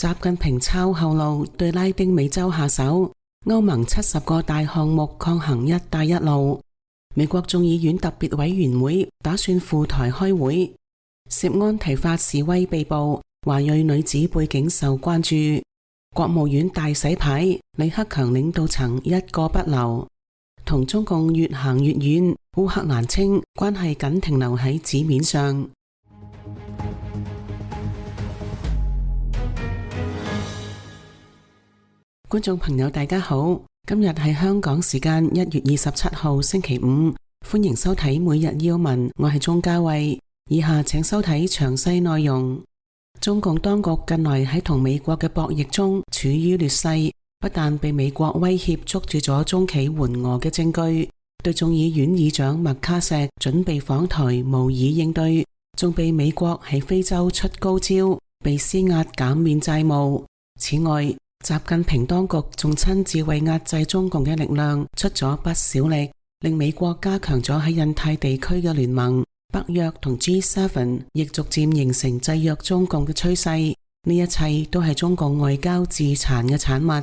習近平抄後路對拉丁美洲下手，歐盟70個大項目抗衡一帶一路。美國眾議院特別委員會打算赴台開會。涉安提法示威被捕，華裔女子背景受關注。國務院大洗牌，李克強領導層一個不留。同中共越行越遠，烏克蘭稱關係僅停留喺紙面上。觀眾朋友大家好，今日係香港時間1月27號星期五，歡迎收睇每日要聞，我係鍾嘉慧。以下請收睇詳細內容。中共當局近來喺同美國嘅博弈中處於劣勢，不但被美國威脅捉住咗中企援俄嘅證據，對眾議院議長麥卡錫準備訪台無以應對，仲被美國喺非洲出高招，被施壓減免債務。此外，習近平當局仲親自為壓制中共嘅力量出咗不少力，令美國加強咗喺印太地區嘅聯盟。北約同 G7 亦逐漸形成制約中共嘅趨勢，呢一切都係中共外交自殘嘅產物。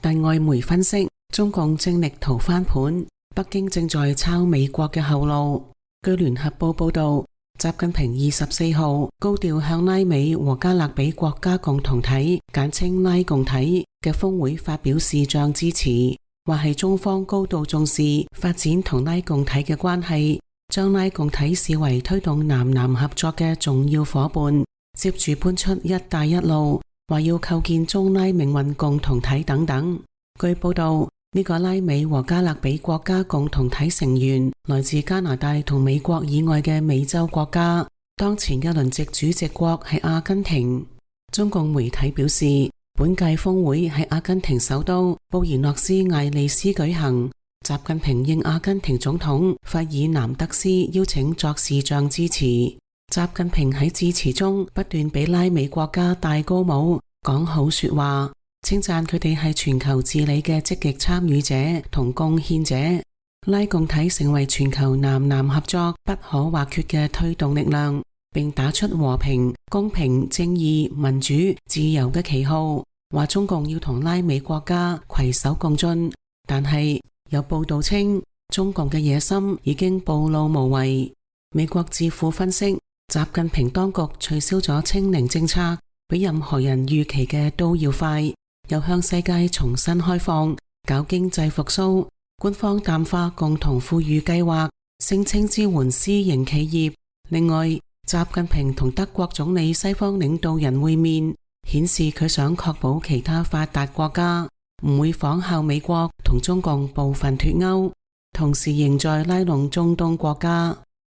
但外媒分析，中共正力圖翻盤，北京正在抄美國嘅後路。據聯合報報道，習近平24號高調向拉美和加勒比國家共同體簡稱拉共體嘅峰會發表視像致辭，話係中方高度重視發展同拉共體嘅關係，將拉共體視為推動南南合作嘅重要夥伴，接住搬出一帶一路，話要構建中拉命運共同體等等。據報道，呢個拉美和加勒比國家共同體成員來自加拿大同美國以外嘅美洲國家，當前嘅輪值主席國係阿根廷。中共媒體表示，本屆峰會喺阿根廷首都布宜諾斯艾利斯舉行。習近平應阿根廷總統費爾南德斯邀請作視像致辭。習近平喺致辭中不斷俾拉美國家戴高帽，講好說話，稱讚佢哋係全球治理嘅積極參與者同貢獻者。拉共體成為全球南南合作不可或缺嘅推動力量，並打出和平、公平、正義、民主、自由嘅旗號，話中共要同拉美國家攜手共進。但係有報道稱，中共嘅野心已經暴露無遺。美國智庫分析，習近平當局取消咗清零政策，比任何人預期嘅都要快，又向世界重新開放，搞經濟復甦。官方淡化共同富裕計劃，聲稱支援私營企業。另外，習近平同德國總理西方領導人會面，顯示佢想確保其他發達國家唔會仿效美國同中共部分脫鈎，同時仍在拉攏中東國家。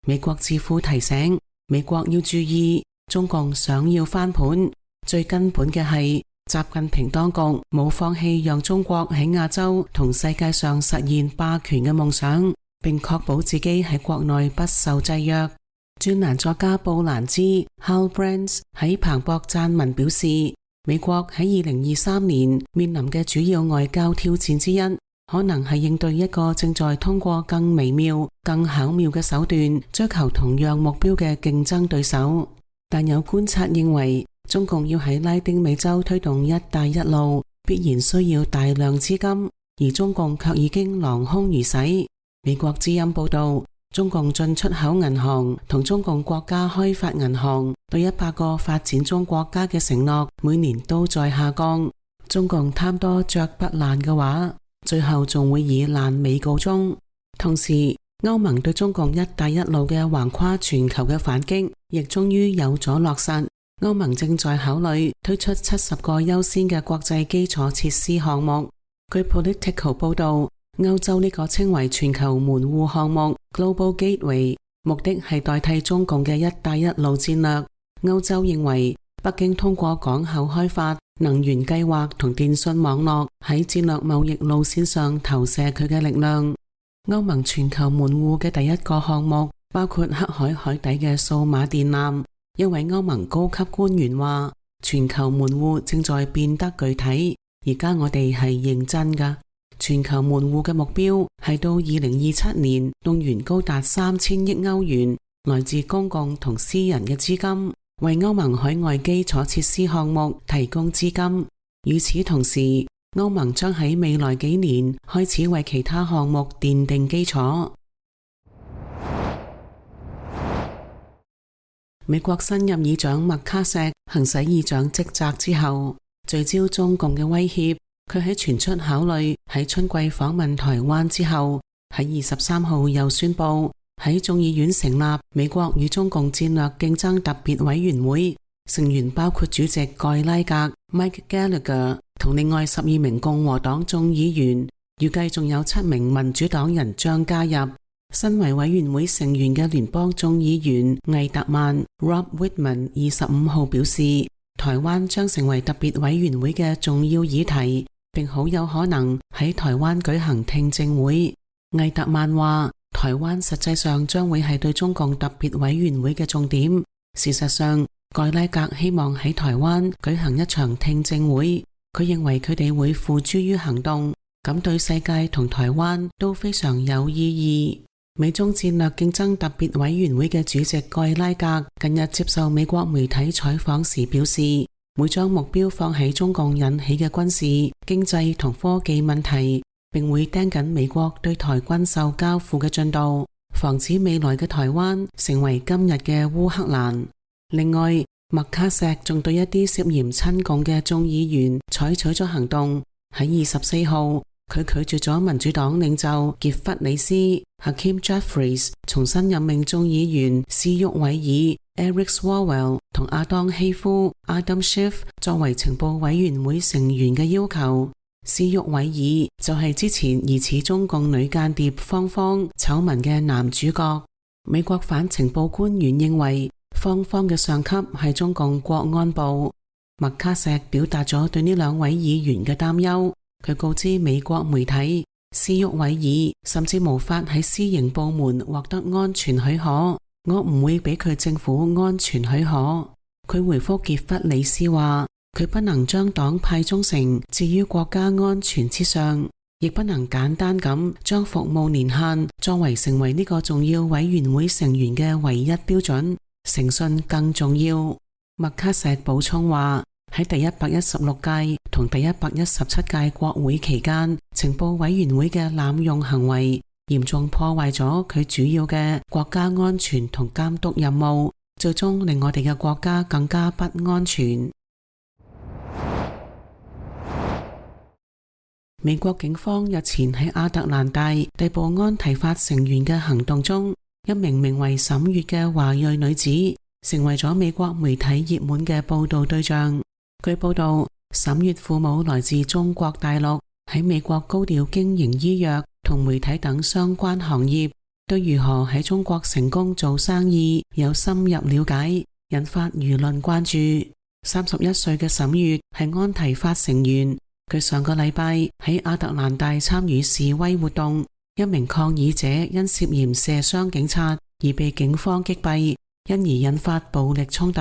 美國智庫提醒，美國要注意，中共想要翻盤，最根本嘅係習近平當局冇放棄讓中國喺亞洲同世界上實現霸權嘅夢想，並確保自己喺國內不受制約。專欄作家布蘭茲 Hal Brands 喺彭博撰文表示，美國喺2023年面臨嘅主要外交挑戰之一，可能係應對一個正在通過更微妙、更巧妙嘅手段追求同樣目標嘅競爭對手。但有觀察認為，中共要喺拉丁美洲推動一帶一路，必然需要大量資金，而中共卻已經囊空如洗。美國之音報道，中共進出口銀行同中共國家開發銀行對100個發展中國家嘅承諾每年都在下降。中共貪多嚼不爛嘅話，最後仲會以爛尾告終。同時，歐盟對中共一帶一路嘅橫跨全球嘅反擊亦終於有咗落實。歐盟正在考慮推出70個優先嘅國際基礎設施項目。據 Political 報道，歐洲呢個稱為全球門戶項目 Global Gateway， 目的係代替中共嘅一帶一路戰略。歐洲認為北京通過港口開發、能源計劃同電信網絡喺戰略貿易路線上投射佢嘅力量。歐盟全球門戶嘅第一個項目包括黑海海底嘅數碼電纜。一位歐盟高級官員話，全球門戶正在變得具體，而家我哋係認真㗎。全球門戶嘅目標係到2027年動員高達3000億歐元來自公共同私人嘅資金，為歐盟海外基礎設施項目提供資金。與此同時，歐盟將喺未來幾年開始為其他項目奠定基礎。美國新任議長麥卡錫行使議長職責之後，聚焦中共嘅威脅。佢喺傳出考慮喺春季訪問台灣之後，喺23號又宣布喺眾議院成立美國與中共戰略競爭特別委員會，成員包括主席蓋拉格 Mike Gallagher 同另外12名共和黨眾議員，預計仲有7名民主黨人將加入。身為委員會成員嘅聯邦眾議員魏特曼 Rob Wittman 25號表示，台灣將成為特別委員會嘅重要議題，並好有可能喺台灣舉行聽證會。魏特曼話，台灣實際上將會係對中共特別委員會嘅重點。事實上，蓋拉格希望喺台灣舉行一場聽證會，佢認為佢哋會付諸於行動，咁對世界同台灣都非常有意義。美中戰略競爭特別委員會嘅主席蓋拉格近日接受美國媒體採訪時表示，會將目標放喺中共引起嘅軍事、經濟同科技問題，並會盯緊美國對台軍售交付嘅進度，防止未來嘅台灣成為今日嘅烏克蘭。另外，麥卡錫仲對一啲涉嫌親共嘅眾議員採取咗行動。喺24號，佢拒絕咗民主黨領袖傑弗里斯 Hakeem Jeffries 重新任命眾議員斯沃維爾 Eric Swalwell 同亞當希夫 Adam Schiff 作為情報委員會成員嘅要求。斯沃維爾就係之前疑似中共女間諜芳芳醜聞嘅男主角。美國反情報官員認為芳芳嘅上級係中共國安部。麥卡錫表達咗對呢兩位議員嘅擔憂。佢告知美國媒體，斯沃維爾甚至無法喺私營部門獲得安全許可，我唔會俾佢政府安全許可。佢回覆傑弗里斯話，佢不能將黨派忠誠置於國家安全之上，亦不能簡單咁將服務年限作為成為呢個重要委員會成員嘅唯一標準，誠信更重要。麥卡錫補充話，喺第116屆同第117屆國會期間，情報委員會嘅濫用行為嚴重破壞咗佢主要嘅國家安全同監督任務，最終令我哋嘅國家更加不安全。美國警方日前喺亞特蘭大逮捕安提法成員嘅行動中，一名名為沈月嘅華裔女子成為咗美國媒體熱門嘅報道對象。據報道，沈月父母來自中國大陸，喺美國高調經營醫藥同媒體等相關行業，對如何喺中國成功做生意有深入了解，引發輿論關注。31歲嘅沈月係安提法成員，佢上個禮拜喺亞特蘭大參與示威活動，一名抗議者因涉嫌射傷警察而被警方擊斃，因而引發暴力衝突。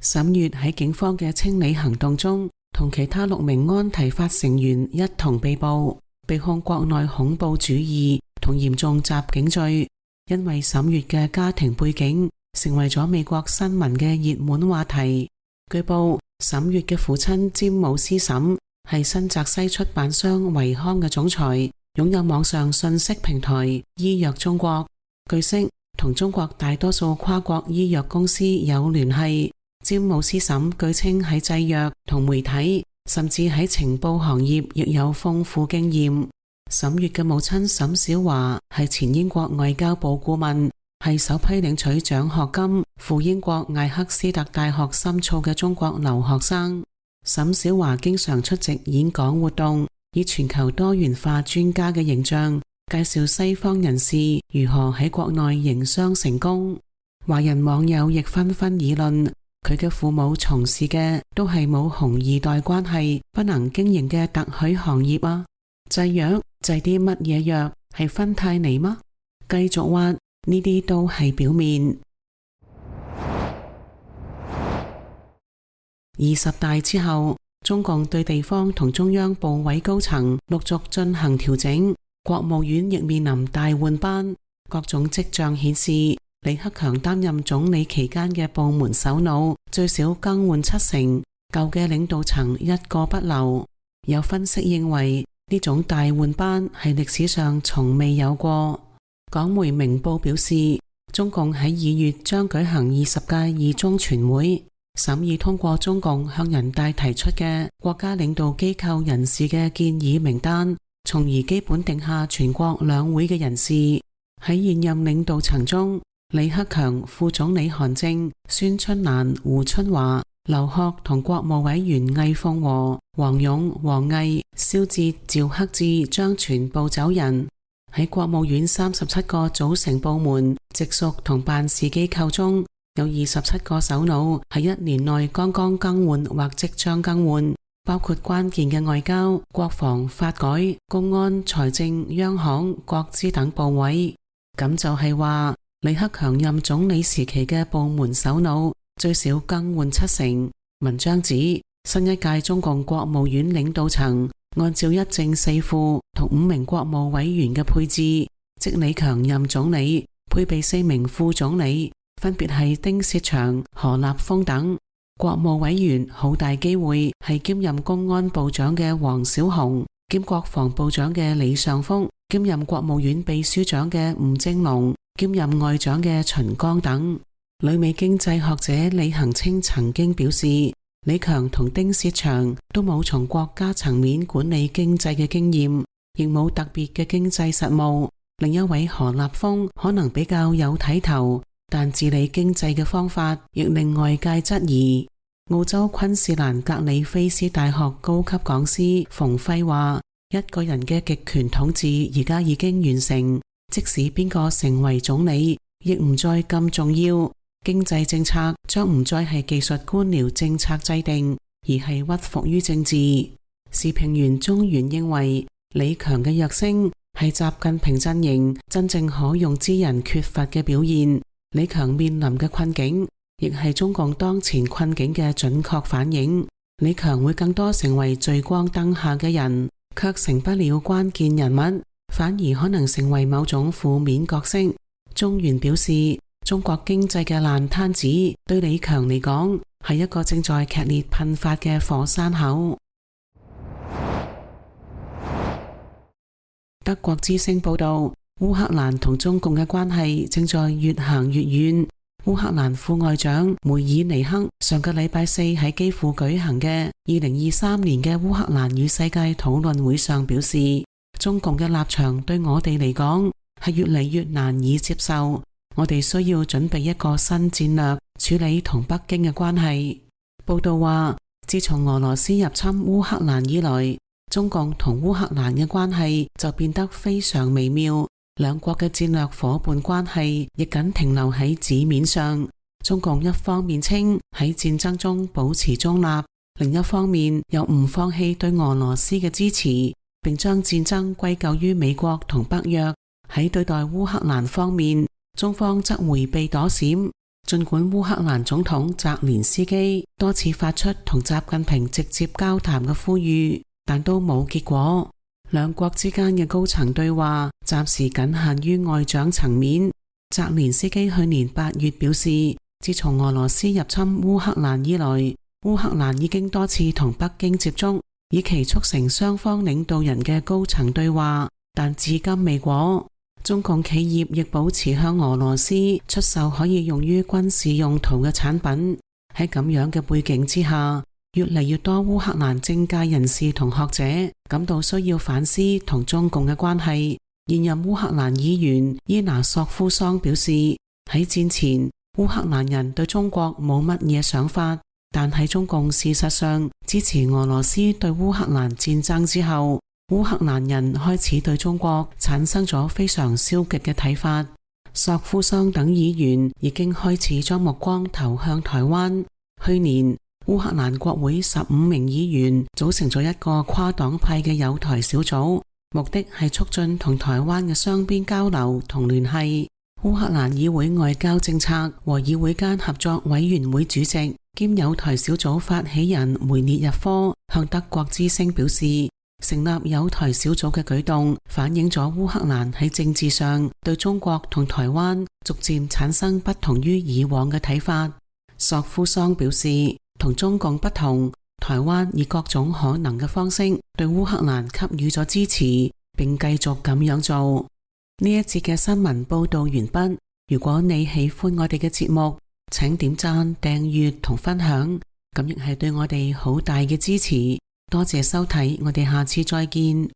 沈月喺警方嘅清理行動中，同其他6名安提法成員一同被捕，被控國內恐怖主義同嚴重襲警罪。因為沈月嘅家庭背景，成為咗美國新聞嘅熱門話題。據報，沈月嘅父親詹姆斯沈係新澤西出版商維康嘅總裁，擁有網上信息平台醫藥中國。據悉，同中國大多數跨國醫藥公司有聯繫。詹姆斯沈據稱喺製藥同媒體，甚至喺情報行業亦有豐富經驗。沈月嘅母親沈小華係前英國外交部顧問，係首批領取獎學金赴英國艾克斯特大學深造嘅中國留學生。沈小華經常出席演講活動，以全球多元化專家嘅形象介紹西方人士如何喺國內營商成功。華人網友亦紛紛議論，佢嘅父母從事嘅都係冇紅二代關係，不能經營嘅特許行業啊！製藥製啲乜嘢藥？係芬太尼嗎？繼續挖，呢啲都係表面。20大之後，中共對地方同中央部委高層陸續進行調整，國務院亦面臨大換班，各種跡象顯示李克強擔任總理期間嘅部門首腦最少更換70%，舊嘅領導層一個不留。有分析認為，呢種大換班係歷史上從未有過。港媒明報表示，中共喺2月將舉行20屆二中全會，審議通過中共向人大提出嘅國家領導機構人士嘅建議名單，從而基本定下全國兩會嘅人事。喺現任領導層中，李克強、副總理韓正、孫春蘭、胡春華、劉鶴同國務委員魏鳳和、王勇、王毅、肖捷、趙克志將全部走人。喺國務院37個組成部門、直屬同辦事機構中，有27個首腦喺1年內剛剛更換或即將更換，包括關鍵嘅外交、國防、發改、公安、財政、央行、國資等部委。咁就係話，李克強任總理時期嘅部門首腦最少更換70%。文章指，新一屆中共國務院領導層按照一正四副同5名國務委員嘅配置，即李強任總理，配備4名副總理，分別係丁薛祥、何立峰等。國務委員好大機會係兼任公安部長嘅王小洪，兼國防部長嘅李尚福，兼任國務院秘書長嘅吳政隆，兼任外長嘅秦剛等。旅美經濟學者李恒清曾經表示，李強同丁薛祥都冇從國家層面管理經濟嘅經驗，亦冇特別嘅經濟實務。另一位何立峰可能比較有睇頭，但治理經濟嘅方法亦令外界質疑。澳洲昆士蘭格里菲斯大學高級講師馮輝話，一個人嘅極權統治而家已經完成，即使邊個成為總理，亦唔再咁重要。經濟政策將唔再係技術官僚政策制定，而係屈服於政治。時評員中原認為，李強嘅躍升係習近平陣營真正可用之人缺乏嘅表現。李強面臨嘅困境，亦係中共當前困境嘅準確反映。李強會更多成為聚光燈下嘅人，卻成不了關鍵人物，反而可能成為某種負面角色。中原表示，中國經濟嘅爛攤子對李強嚟講係一個正在劇烈噴發嘅火山口。德國之聲報道，烏克蘭同中共嘅關係正在越行越遠。烏克蘭副外長梅爾尼克上個禮拜四喺基輔舉行嘅2023年嘅烏克蘭與世界討論會上表示，中共嘅立場對我哋嚟講係越嚟越難以接受。我哋需要準備一個新戰略處理同北京嘅關係。報道話，自從俄羅斯入侵烏克蘭以來，中共同烏克蘭嘅關係就變得非常微妙，兩國嘅戰略夥伴關係亦僅停留喺紙面上。中共一方面稱喺戰爭中保持中立，另一方面又唔放棄對俄羅斯嘅支持，並將戰爭歸咎於美國同北約。喺對待烏克蘭方面，中方則迴避躲閃，盡管烏克蘭總統澤連斯基多次發出同習近平直接交談嘅呼籲，但都冇結果。兩國之間嘅高層對話暫時僅限於外長層面。澤連斯基去年8月表示，自從俄羅斯入侵烏克蘭以來，烏克蘭已經多次同北京接觸，以期促成雙方領導人嘅高層對話，但至今未果。中共企業亦保持向俄羅斯出售可以用於軍事用途嘅產品。喺咁樣嘅背景之下，越嚟越多烏克蘭政界人士同學者感到需要反思同中共嘅關係。現任烏克蘭議員伊拿索夫桑表示，喺戰前烏克蘭人對中國冇乜嘢想法，但喺中共事實上支持俄羅斯對烏克蘭戰爭之後，烏克蘭人開始對中國產生咗非常消極嘅睇法。索夫桑等議員已經開始將目光投向台灣。去年，烏克蘭國會15名議員組成咗一個跨黨派嘅友台小組，目的係促進同台灣嘅雙邊交流同聯繫。烏克蘭議會外交政策和議會間合作委員會主席兼友台小組發起人梅列日科向德國之聲表示，成立友台小組嘅舉動反映咗烏克蘭喺政治上對中國同台灣逐漸產生不同於以往嘅睇法。索夫桑表示，同中共不同，台灣以各種可能嘅方式對烏克蘭給予咗支持，並繼續咁樣做。呢一節嘅新聞報道完畢。如果你喜歡我哋嘅節目，請點讚、訂閱同分享，咁亦係對我哋好大嘅支持。多謝收睇，我哋下次再見。